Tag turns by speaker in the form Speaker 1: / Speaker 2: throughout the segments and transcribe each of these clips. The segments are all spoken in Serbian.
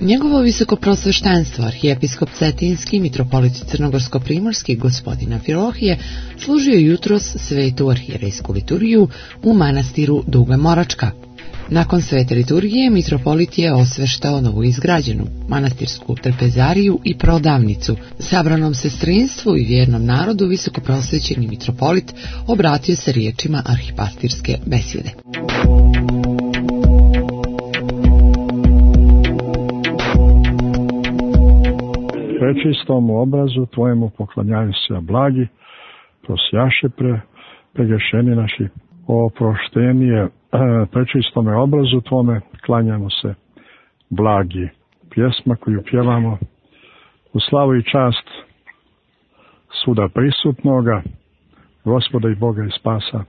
Speaker 1: Njegovo visokoprosveštenstvo, arhijepiskop Cetinski, mitropolit crnogorsko-primorski gospodin Amfilohije, služio jutros svetu arhijerejsku liturgiju u manastiru Duga Moračka. Nakon svete liturgije, mitropolit je osveštao novoizgrađenu manastirsku trpezariju i prodavnicu. Sabranom sestrinstvu i vjernom narodu visokoprosvećeni mitropolit obratio se riječima arhipastirske besjede.
Speaker 2: Prečistom obrazu Tvojemu poklanjaju se, blagi, prosjaše pregrešeni naši, oproštenije, prečistome obrazu Tvome klanjamo se, blagi. Pjesma koju pjevamo u slavu i čast svuda prisutnoga, Gospoda i Boga i Spasa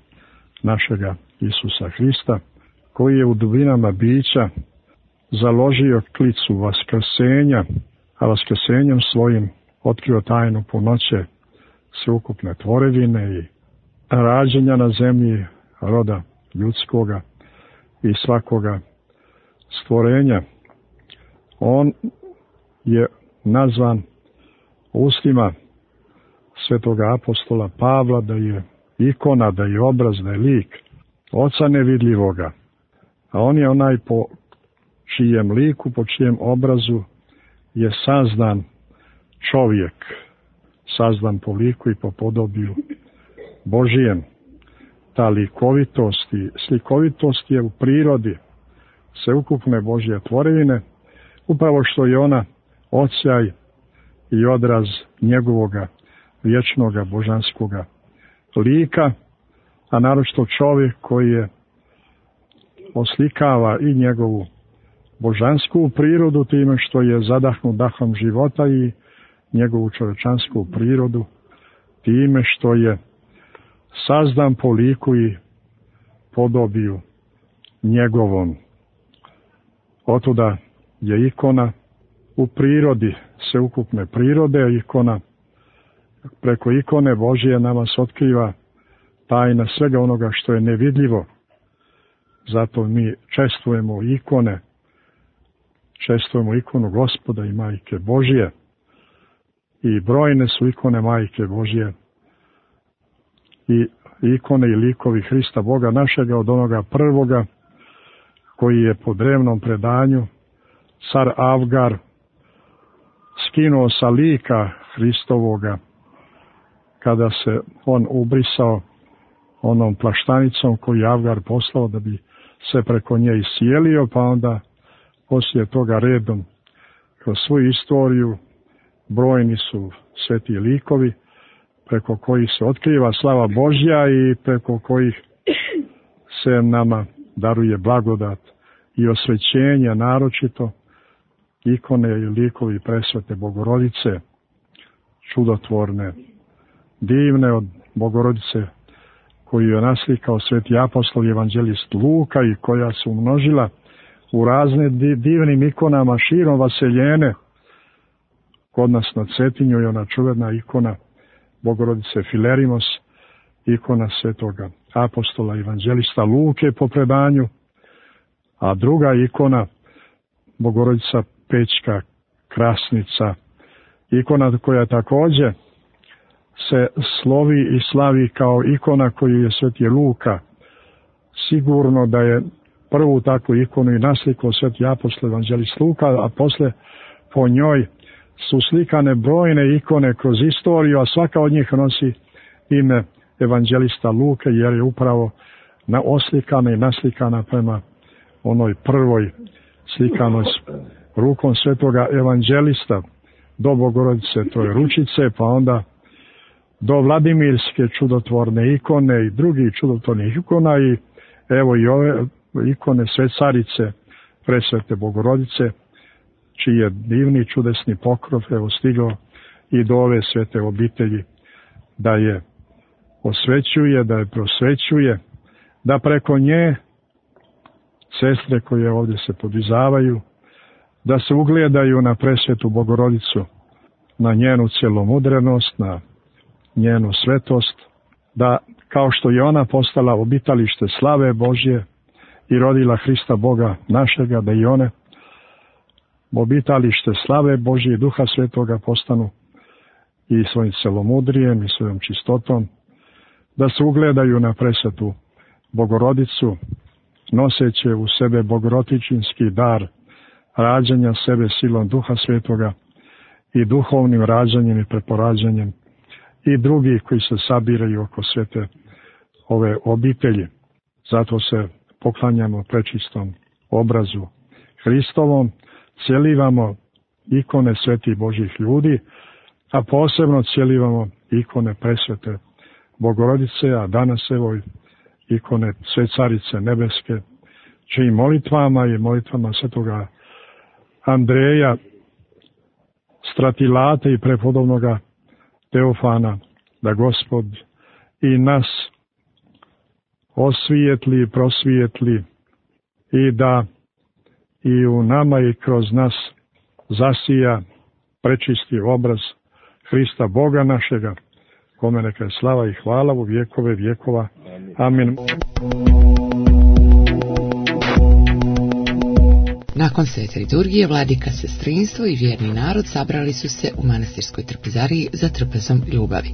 Speaker 2: našega Isusa Hrista, koji je u dubinama bića založio klicu vaskrsenja, a vaskrsenjem svojim otkrio tajnu punoće sveukupne tvorevine i rađenja na zemlji roda ljudskoga i svakoga stvorenja. On je nazvan ustima svetoga apostola Pavla da je ikona, da je obraz, da je lik Oca nevidljivoga. A on je onaj po čijem liku, po čijem obrazu je sazdan čovjek, sazdan po liku i po podobiju Božijem. Ta slikovitost je u prirodi sveukupne Božje tvorevine, upravo što je ona odsjaj i odraz njegovoga vječnoga božanskoga lika, a naročito čovjek koji je oslikava i njegovu božansku prirodu time što je zadahnut dahom života i njegovu čovječansku prirodu time što je sazdan po liku i podobiju njegovom. Otuda je ikona u prirodi, sveukupne prirode, ikona, preko ikone Božije nama se otkriva tajna svega onoga što je nevidljivo. Zato mi čestvujemo ikone, čestvujemo ikonu Gospoda i Majke Božije. I brojne su ikone Majke Božije i ikone i likovi Hrista Boga našega, od onoga prvoga koji je po drevnom predanju car Avgar skinuo sa lika Hristovoga kada se on ubrisao onom plaštanicom koju je Avgar poslao da bi se preko nje iscijelio, pa onda poslije toga redom kroz svoju istoriju brojni su sveti likovi preko kojih se otkriva slava Božja i preko kojih se nama daruje blagodat i osvećenje, naročito ikone i likovi presvete Bogorodice, čudotvorne, divne od Bogorodice koju je naslikao sveti apostol i evanđelist Luka i koja se umnožila u razne divnim ikonama širom vaseljene. Kod nas na Cetinju je ona čuvena ikona Bogorodice Filerimos, ikona svetoga apostola evanđelista Luke po predanju, a druga ikona Bogorodica Pećka Krasnica, ikona koja također se slovi i slavi kao ikona koju je sveti Luka. Sigurno da je prvu takvu ikonu i naslikao sveti apostol evanđelist Luka, a posle po njoj su slikane brojne ikone kroz istoriju, a svaka od njih nosi ime evanđelista Luke, jer je upravo oslikana i naslikana prema onoj prvoj slikanoj rukom svetoga evanđelista do Bogorodice, to je ručice, pa onda do Vladimirske čudotvorne ikone i drugih čudotvornih ikona i evo i ove ikone sve carice presvete Bogorodice, čiji je divni čudesni pokrov evo stigao i do ove svete obitelji da je osvećuje, da je prosvećuje, da preko nje sestre koje ovdje se podvizavaju, da se ugledaju na presvetu Bogorodicu, na njenu celomudrenost, na njenu svetost, da kao što je ona postala obitalište slave Božje i rodila Hrista Boga našega, da i one obitalište slave Božje i Duha Svetoga postanu i svojim celomudrijem i svojom čistotom, da se ugledaju na presvetu Bogorodicu, noseće u sebe bogorodičinski dar rađanja sebe silom Duha Svetoga i duhovnim rađanjem i preporađanjem i drugih koji se sabiraju oko svete ove obitelji. Zato se poklanjamo prečistom obrazu Hristovom, cjelivamo ikone svetih Božjih ljudi, a posebno cjelivamo ikone presvete Bogorodice, a danas evo ikone sve Carice Nebeske, čijim molitvama i molitvama svetoga Andreja, Stratilate i prepodobnoga Teofana, da Gospod i nas osvijetli, prosvijetli i da i u nama i kroz nas zasija prečisti obraz Hrista Boga našega, kome neka je slava i hvala u vjekove vjekova. Amin.
Speaker 1: Nakon svete liturgije, vladika, sestrinstvo i vjerni narod sabrali su se u manastirskoj trpezariji za trpezom ljubavi.